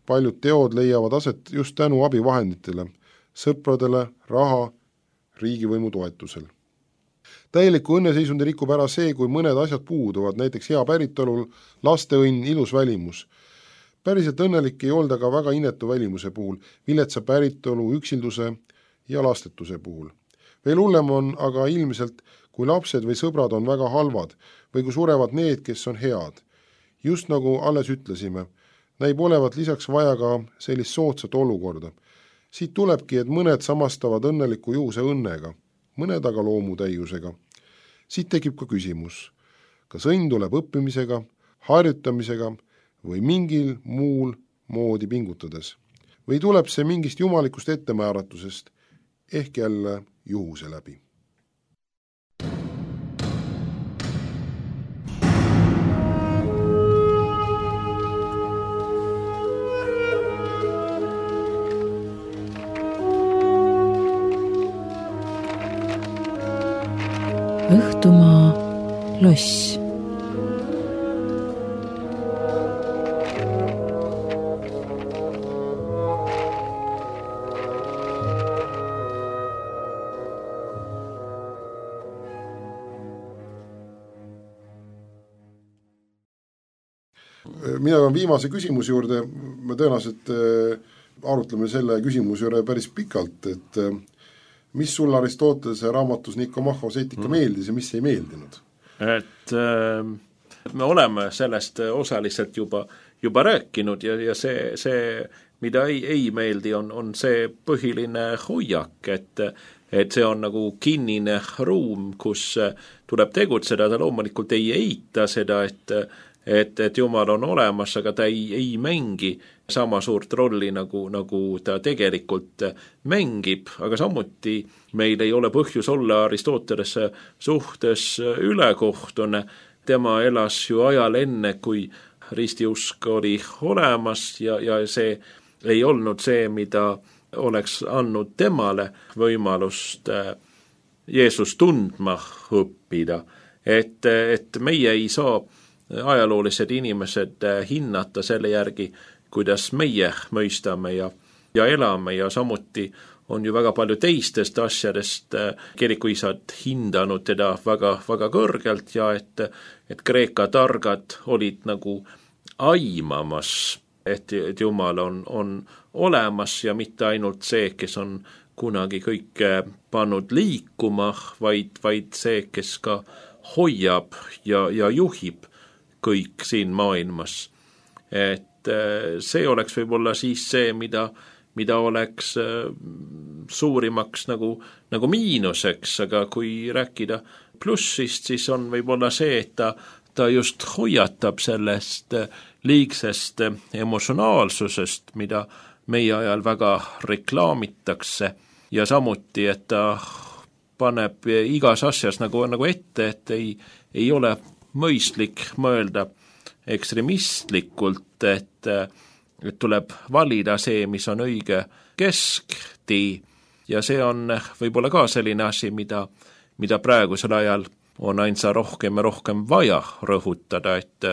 Paljud teod leiavad aset just tänu abivahenditele, sõpradele, raha, riigivõimu toetusel. Täieliku õnneseisundi rikub ära see, kui mõned asjad puuduvad, näiteks hea päritolul, lasteõnn, ilus välimus. Päriselt õnnelik ei olda ka väga inetu välimuse puhul, viletsa päritolu, üksilduse ja lastetuse puhul. Veel hullem on aga ilmselt, kui lapsed või sõbrad on väga halvad või kui surevad need, kes on head. Just nagu alles ütlesime, näib olevat lisaks vaja ka sellist soodsat olukorda. Siit tulebki, et mõned samastavad õnneliku juhuse õnnega, mõned aga loomutäiusega. Siit tekib ka küsimus, kas õnn tuleb õppimisega, harjutamisega või mingil muul moodi pingutades. Või tuleb see mingist jumalikust ettemääratusest, ehk jälle juhuse läbi. Õhtumaa loss. Mina olen viimase küsimuse juurde, me tõenäoliselt arutleme selle küsimuse juurde päris pikalt, et mis sul Aristotelese raamatus Nikomachos eetika mm. meeldis ja mis ei meeldinud? Et äh, me oleme sellest osaliselt juba, juba rääkinud ja, ja see, see, mida ei, ei meeldi, on, on see põhiline hoiak, et, et see on nagu kinnine ruum, kus tuleb tegutseda, ta loomulikult ei eita seda, et Et, et Jumal on olemas, aga ta ei, ei mängi sama suurt rolli, nagu, nagu ta tegelikult mängib, aga samuti meil ei ole põhjus olla Aristotelese suhtes ülekohtune. tema elas ju ajal enne, kui ristiusk oli olemas ja, ja see ei olnud see, mida oleks andnud temale võimalust Jeesus tundma õppida. Et, et meie ei saa ajaloolised inimesed hinnata selle järgi, kuidas meie mõistame ja, ja elame ja samuti on ju väga palju teistest asjadest kirikuisad hindanud teda väga, väga kõrgelt ja et, et Kreeka targad olid nagu aimamas, et, et Jumal on, on olemas ja mitte ainult see, kes on kunagi kõike pannud liikuma, vaid, vaid see, kes ka hoiab ja, ja juhib kõik siin maailmas. Et see oleks võib-olla siis see, mida, mida oleks suurimaks nagu, nagu miinuseks, aga kui rääkida plussist, siis on võib-olla see, et ta, ta just hoiatab sellest liigsest emotsionaalsusest, mida meie ajal väga reklaamitakse ja samuti, et ta paneb igas asjas nagu, nagu ette, et ei, ei ole mõistlik mõelda ekstremistlikult, et, et tuleb valida see, mis on õige kesktee ja see on võib-olla ka selline asi, mida, mida praegusel ajal on ainsa rohkem ja rohkem vaja rõhutada, et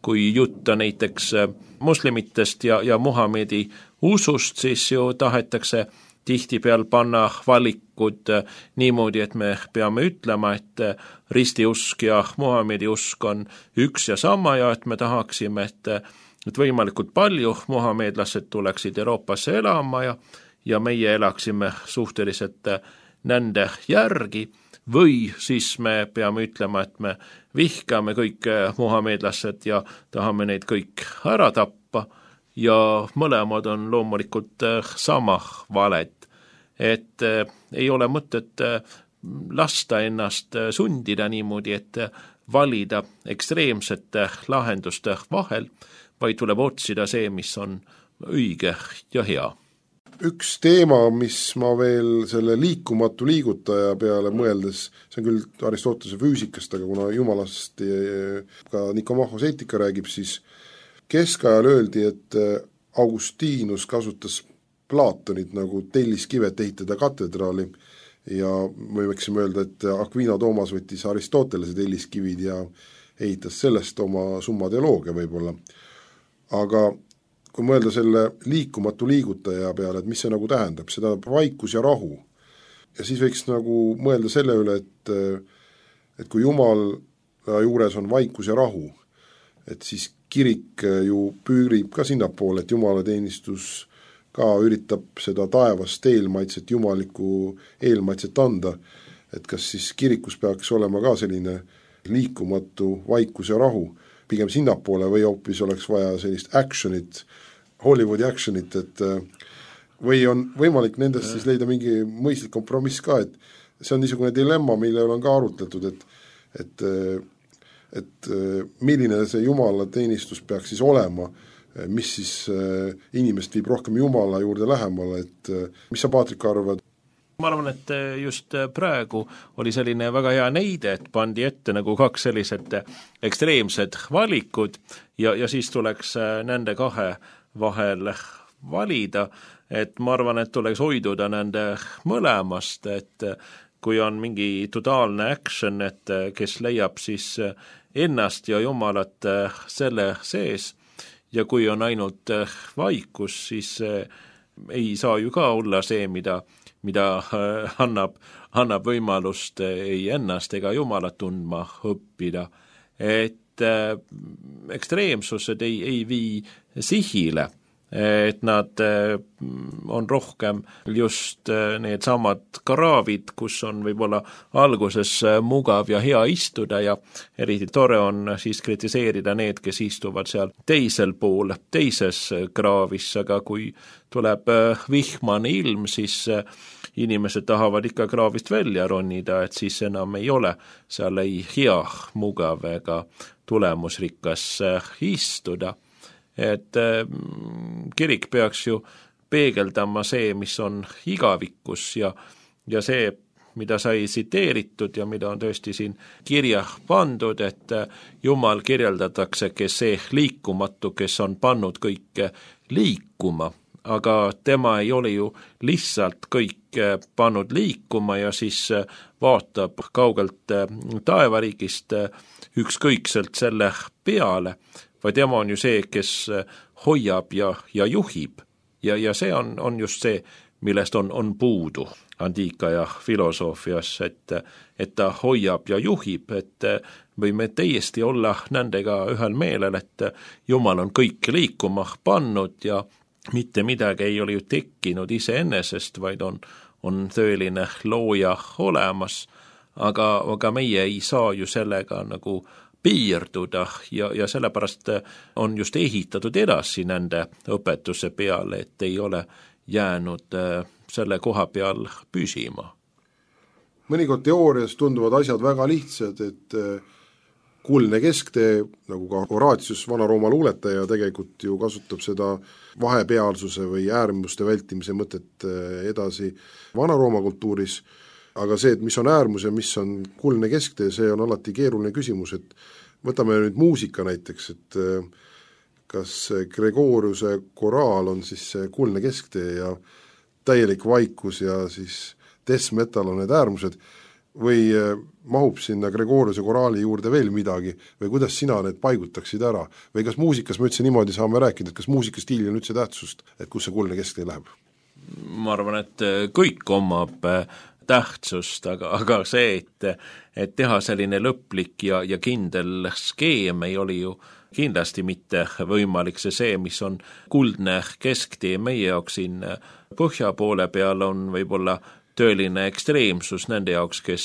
kui jutta näiteks moslemitest ja, ja Muhamedi usust, siis ju tahetakse tihtipeal panna valikud niimoodi, et me peame ütlema, et ristiusk ja Muhamedi usk on üks ja sama ja et me tahaksime, et, et võimalikult palju muhamedlased tuleksid Euroopasse elama ja, ja meie elaksime suhteliselt nende järgi või siis me peame ütlema, et me vihkame kõik muhamedlased ja tahame neid kõik ära tappa ja mõlemad on loomulikult sama valed. Et äh, ei ole mõtet äh, lasta ennast äh, sundida niimoodi, et äh, valida ekstreemsete lahenduste vahel, vaid tuleb otsida see, mis on õige ja hea. Üks teema, mis ma veel selle liikumatu liigutaja peale mõeldes, see on küll Aristotelese füüsikast, aga kuna jumalast ka Nikomachos eetika räägib, siis keskajal öeldi, et Augustinus kasutas Platonit nagu telliskivet ehitada katedraali ja me võiksime öelda, et Aquino Toomas võttis Aristotelese telliskivid ja ehitas sellest oma summa teoloogia võib-olla. Aga kui mõelda selle liikumatu liigutaja peale, et mis see nagu tähendab, see tähendab vaikus ja rahu. Ja siis võiks nagu mõelda selle üle, et, et kui Jumal juures on vaikus ja rahu, et siis kirik ju püürib ka sinnapoole, et Jumala teenistus ka üritab seda taevast eelmaitset, jumalikku eelmaitset anda, et kas siis kirikus peaks olema ka selline liikumatu vaikus ja rahu, pigem sinnapoole või hoopis oleks vaja sellist actionit, Hollywoodi actionit, et või on võimalik nendest siis leida mingi mõistlik kompromiss ka, et see on niisugune dilemma, mille on ka arutletud, et, et, et milline see Jumala teenistus peaks siis olema, mis siis inimest viib rohkem Jumala juurde lähemale, et mis sa, Paatrik, arvad? Ma arvan, et just praegu oli selline väga hea näide, et pandi ette nagu kaks sellised ekstreemsed valikud ja, ja siis tuleks nende kahe vahel valida, et ma arvan, et tuleks hoiduda nende mõlemast, et kui on mingi totaalne action, et kes leiab siis ennast ja Jumalat selle sees, ja kui on ainult vaikus, siis ei saa ju ka olla see, mida, mida annab, annab võimalust ei ennast ega Jumalat tundma õppida. Et ekstreemsused ei, ei vii sihile, et nad on rohkem just need samad kraavid, kus on võib-olla alguses mugav ja hea istuda ja eriti tore on siis kritiseerida need, kes istuvad seal teisel pool, teises kraavis, aga kui tuleb vihmane ilm, siis inimesed tahavad ikka kraavist välja ronida, et siis enam ei ole seal ei hea, mugav ega tulemusrikas istuda. Et kirik peaks ju peegeldama see, mis on igavikus ja, ja see mida sai tsiteeritud ja mida on tõesti siin kirja pandud, et Jumal kirjeldatakse, kes see liikumatu, kes on pannud kõike liikuma, aga tema ei ole ju lihtsalt kõik pannud liikuma ja siis vaatab kaugelt taevariigist ükskõikselt selle peale, vaid tema on ju see, kes hoiab ja, ja juhib. Ja, ja see on, on just see, millest on, on puudu antiikaja filosoofias, et, et ta hoiab ja juhib, et võime täiesti olla nendega ühel meelel, et Jumal on kõik liikuma pannud ja mitte midagi ei ole ju tekkinud iseenesest, vaid on, on tõeline looja olemas, aga, aga meie ei saa ju sellega nagu piirduda ja, ja sellepärast on just ehitatud edasi nende õpetuse peale, et ei ole jäänud selle koha peal püsima. Mõnikord teoorias tunduvad asjad väga lihtsad, et kuldne kesktee, nagu ka Horatius, Vana-Rooma luuletaja, tegelikult ju kasutab seda vahepealsuse või äärmuste vältimise mõtet edasi Vana-Rooma kultuuris, aga see, et mis on äärmus ja mis on kuldne kesktee, see on alati keeruline küsimus, et võtame nüüd muusika näiteks, et kas Gregoriuse koraal on siis see kuldne kesktee ja täielik vaikus ja siis death metal on need äärmused, või mahub sinna Gregoriuse koraali juurde veel midagi, või kuidas sina need paigutaksid ära, või kas muusikas me üldse niimoodi saame rääkida, et kas muusikastiili on üldse tähtsust, et kus see kuldne kesktee läheb? Ma arvan, et kõik omab tähtsust, aga, aga see, et, et teha selline lõplik ja, ja kindel skeem ei oli ju kindlasti mitte võimalik, see see, mis on kuldne kesktee meie jaoks siin põhja poole peal on võib-olla tõeline ekstreemsus nende jaoks, kes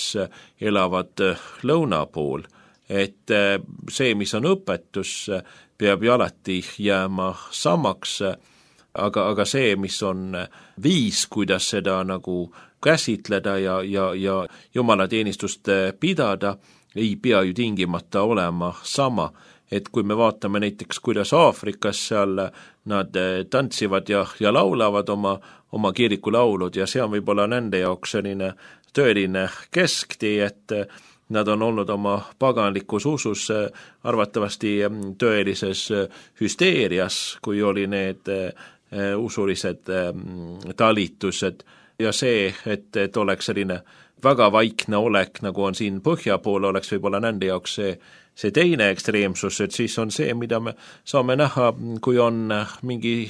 elavad lõuna pool, et see, mis on õpetus, peab ju alati jääma samaks, aga, aga see, mis on viis, kuidas seda nagu käsitleda ja, ja, ja jumalateenistust pidada, ei pea ju tingimata olema sama. Et kui me vaatame näiteks, kuidas Aafrikas seal nad tantsivad ja, ja laulavad oma, oma kirikulaulud ja see on võib-olla nende jaoks selline tõeline kesktee, et nad on olnud oma paganlikus usus arvatavasti tõelises hüsteerias, kui oli need usulised talitused ja see, et, et oleks selline väga vaikne olek, nagu on siin põhja pool, oleks võib-olla nende jaoks see see teine ekstreemsus, et siis on see, mida me saame näha, kui on mingi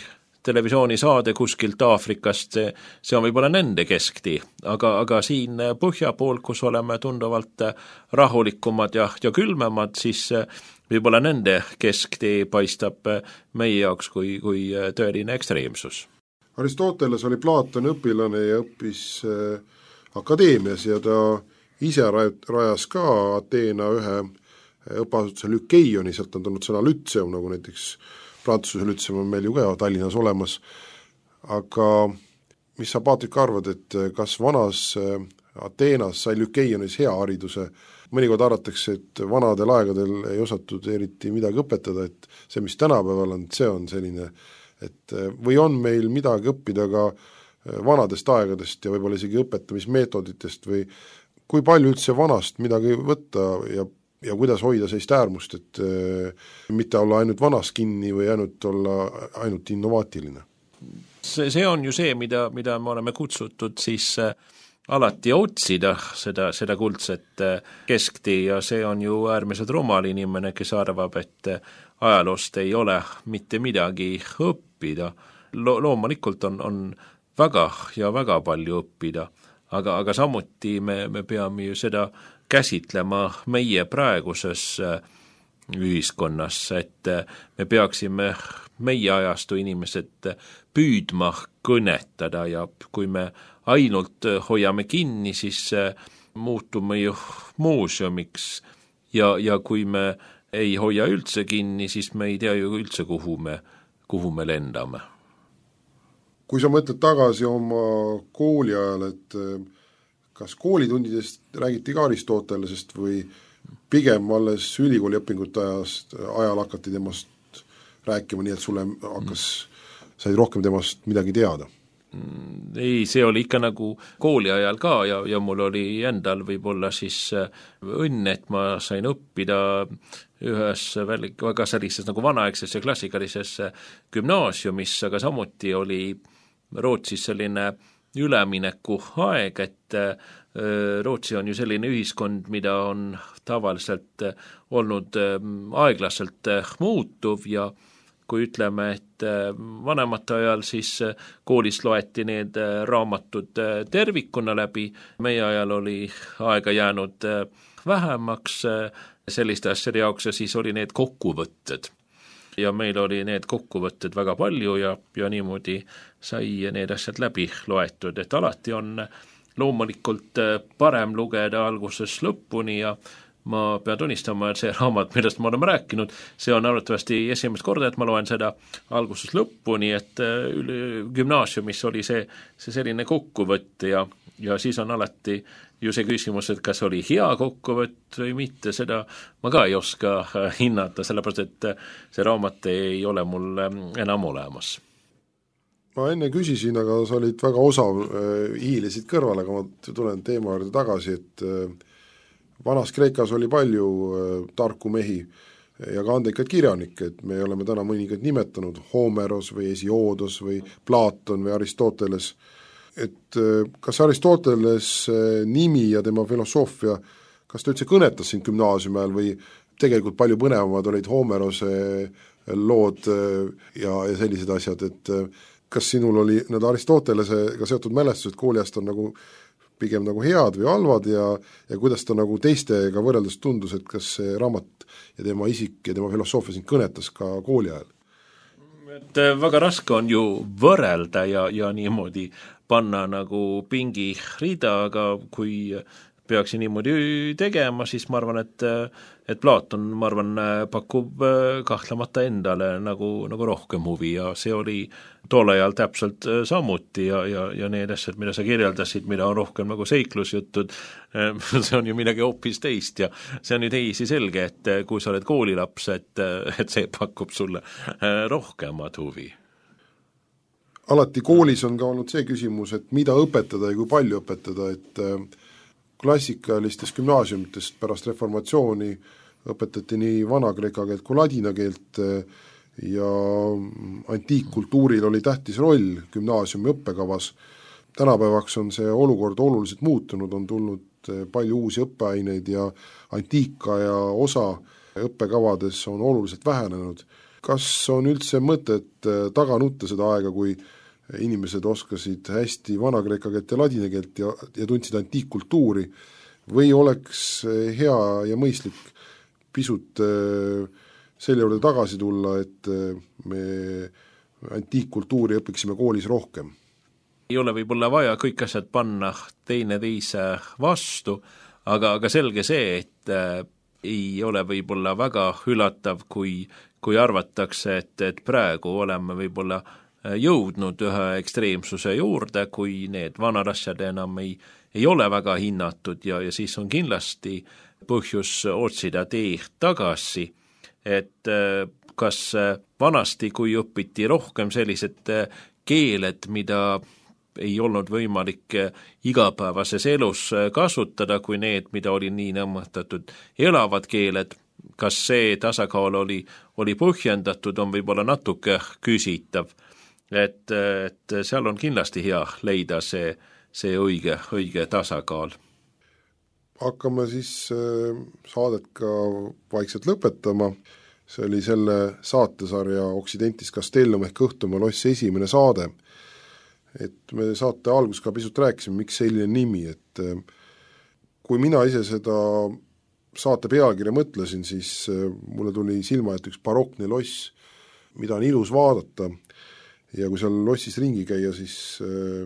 televisioonisaade kuskilt Aafrikast, see, see on võib-olla nende kesktee, aga, aga siin põhja pool, kus oleme tunduvalt rahulikumad ja, ja külmemad, siis võib-olla nende kesktee paistab meie jaoks kui, kui tõeline ekstreemsus. Aristoteles oli Platoni õpilane ja õppis akadeemias ja ta ise rajas ka Ateena ühe õppeasutuse Lükeioni, sealt on tulnud sõna lütseum, nagu näiteks Prantsuse lütseum on meil ju ka Tallinnas olemas, aga mis sa, Paatrik, arvad, et kas vanas Ateenas sai Lükeionis hea hariduse? Mõnikord arvatakse, et vanadel aegadel ei osatud eriti midagi õpetada, et see, mis tänapäeval on, see on selline, et või on meil midagi õppida ka vanadest aegadest ja võib-olla isegi õpetamismeetoditest või kui palju üldse vanast midagi võtta ja ja kuidas hoida sellist äärmust, et mitte olla ainult vanas kinni või ainult olla ainult innovaatiline? See, see on ju see, mida, mida me oleme kutsutud siis alati otsida, seda, seda kuldset kesktee ja see on ju äärmiselt rumal inimene, kes arvab, et ajaloost ei ole mitte midagi õppida. Lo- loomulikult on, on väga ja väga palju õppida, aga, aga samuti me, me peame ju seda käsitlema meie praeguses ühiskonnas, et me peaksime meie ajastu inimesed püüdma kõnetada ja kui me ainult hoiame kinni, siis muutume ju muuseumiks ja, ja kui me ei hoia üldse kinni, siis me ei tea ju üldse, kuhu me, kuhu me lendame. Kui sa mõtled tagasi oma kooli ajal, et kas koolitundidest räägiti ka Aristotelesest või pigem alles ülikooli õpingute ajast, ajal hakati temast rääkima, nii et sulle hakkas, said rohkem temast midagi teada? Ei, see oli ikka nagu kooli ajal ka ja, ja mul oli endal võib-olla siis õnn, et ma sain õppida ühes väga sellises nagu vanaaegses ja klassikalises gümnaasiumis, aga samuti oli Rootsis selline ülemineku aeg, et Rootsi on ju selline ühiskond, mida on tavaliselt olnud aeglaselt muutuv ja kui ütleme, et vanemate ajal siis koolis loeti need raamatud tervikuna läbi, meie ajal oli aega jäänud vähemaks selliste asjade jaoks ja siis oli need kokkuvõtted. Ja meil oli need kokkuvõtted väga palju ja, ja niimoodi sai need asjad läbi loetud, et alati on loomulikult parem lugeda alguses lõpuni ja ma pean tunnistama, et see raamat, millest me oleme rääkinud, see on arvatavasti esimest korda, et ma loen seda alguses lõpuni, et gümnaasiumis oli see, see selline kokkuvõtt ja, ja siis on alati ju see küsimus, et kas oli hea kokkuvõtt või mitte, seda ma ka ei oska hinnata, sellepärast et see raamat ei ole mul enam olemas. Ma enne küsisin, aga sa olid väga osav, hiilisid kõrvale, aga ma tulen teema juurde tagasi, et vanas Kreekas oli palju tarku mehi ja ka andekaid kirjanikke, et me oleme täna mõningad nimetanud, Homeros või Hesioodos või Platon või Aristoteles, et kas Aristoteles nimi ja tema filosoofia, kas ta üldse kõnetas sind gümnaasiumi ajal või tegelikult palju põnevamad olid Homerose lood ja, ja sellised asjad, et kas sinul oli need Aristotelesega seotud mälestused kooliast on nagu pigem nagu head või halvad ja, ja kuidas ta nagu teistega võrreldes tundus, et kas see raamat ja tema isik ja tema filosoofia sind kõnetas ka kooli ajal? Et väga raske on ju võrrelda ja, ja niimoodi panna nagu pingi rida, aga kui peaksin niimoodi tegema, siis ma arvan, et, et Platon, ma arvan, pakub kahtlemata endale nagu, nagu rohkem huvi ja see oli tool ajal täpselt samuti ja, ja, ja need asjad, mida sa kirjeldasid, mida on rohkem nagu seiklusjutud, see on ju midagi hoopis teist ja see on ju teisi selge, et kui sa oled koolilaps, et, et see pakub sulle rohkemat huvi. Alati koolis on ka olnud see küsimus, et mida õpetada ja kui palju õpetada, et klassikalistes gümnaasiumitest pärast reformatsiooni õpetati nii vana-kreeka keelt kui ladina keelt ja antiikkultuuril oli tähtis roll gümnaasiumi õppekavas. Tänapäevaks on see olukord oluliselt muutunud, on tulnud palju uusi õppeaineid ja antiikaja osa õppekavades on oluliselt vähenenud. Kas on üldse mõtet taga nutta seda aega, kui inimesed oskasid hästi vana-kreeka keelt ja ladina keelt ja, ja tundsid antiikkultuuri või oleks hea ja mõistlik pisut selle juurde tagasi tulla, et me antiikkultuuri õpiksime koolis rohkem? Ei ole võib-olla vaja kõik asjad panna teine teise vastu, aga, aga selge see, et ei ole võib-olla väga üllatav, kui, kui arvatakse, et, et praegu oleme võib-olla jõudnud ühe ekstreemsuse juurde, kui need vanad asjad enam ei, ei ole väga hinnatud ja, ja siis on kindlasti põhjus otsida teed tagasi, et kas vanasti, kui õpiti rohkem sellised keeled, mida ei olnud võimalik igapäevases elus kasutada, kui need, mida oli nii nõmmatatud elavad keeled, kas see tasakaal oli, oli põhjendatud, on võib-olla natuke küsitav. Et, et seal on kindlasti hea leida see, see õige, õige tasakaal. Hakkame siis saadet ka vaikselt lõpetama. See oli selle saatesarja Occidentis Castellum ehk Õhtumaa loss esimene saade. Et me saate algus ka pisut rääkisime, miks selline nimi, et kui mina ise seda saate pealkirja mõtlesin, siis mulle tuli silma, et üks barokne loss, mida on ilus vaadata ja kui seal lossis ringi käia, siis äh,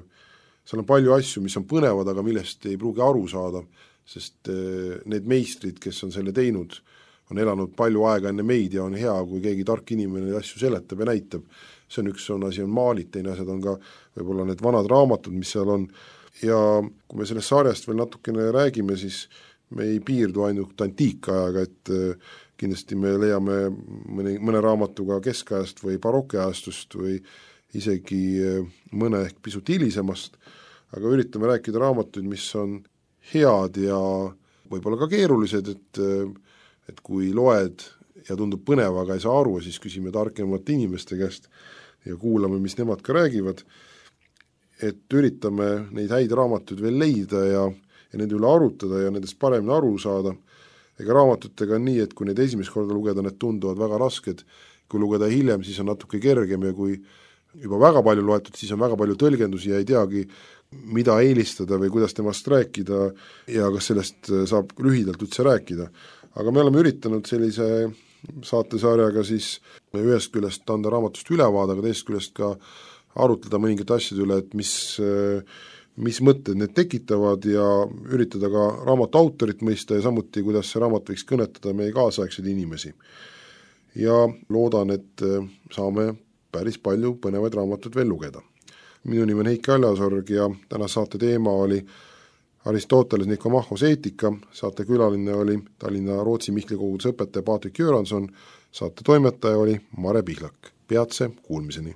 seal on palju asju, mis on põnevad, aga millest ei pruugi aru saada, sest äh, need meistrid, kes on selle teinud, on elanud palju aega enne meid ja on hea, kui keegi tark inimene asju seletab ja näitab. See on üks on asi on maalid, teine asjad on ka võib-olla need vanad raamatud, mis seal on. Ja kui me sellest sarjast veel natukene räägime, siis me ei piirdu ainult antiikajaga, et äh, kindlasti me leiame mõne, mõne raamatuga keskajast või barokiajastust või isegi mõne ehk pisut hilisemast, aga üritame rääkida raamatuid, mis on head ja võib-olla ka keerulised, et, et kui loed ja tundub põnev, aga ei saa aru, siis küsime targemate inimeste käest ja kuulame, mis nemad ka räägivad, et üritame neid häid raamatuid veel leida ja, ja nende üle arutada ja nendest paremini aru saada. Ega raamatutega on nii, et kui neid esimest korda lugeda, need tunduvad väga rasked, kui lugeda hiljem, siis on natuke kergem ja kui juba väga palju loetud, siis on väga palju tõlgendusi ja ei teagi, mida eelistada või kuidas temast rääkida ja kas sellest saab lühidalt üldse rääkida. Aga me oleme üritanud sellise saatesarjaga siis ühest küljest anda raamatust ülevaade, aga teisest küljest ka arutleda mõningate asjade üle, et mis, mis mõtted need tekitavad ja üritada ka raamatu autorit mõista ja samuti, kuidas see raamat võiks kõnetada meie kaasaegseid inimesi. Ja loodan, et saame päris palju põnevaid raamatuid veel lugeda. Minu nimi on Heiki Aljasorg ja täna saate teema oli Aristoteles Nikomachos eetika, saate külaline oli Tallinna Rootsi Mihkli koguduse õpetaja Patrik Göransson, saate toimetaja oli Mare Pihlak. Peatse kuulmiseni!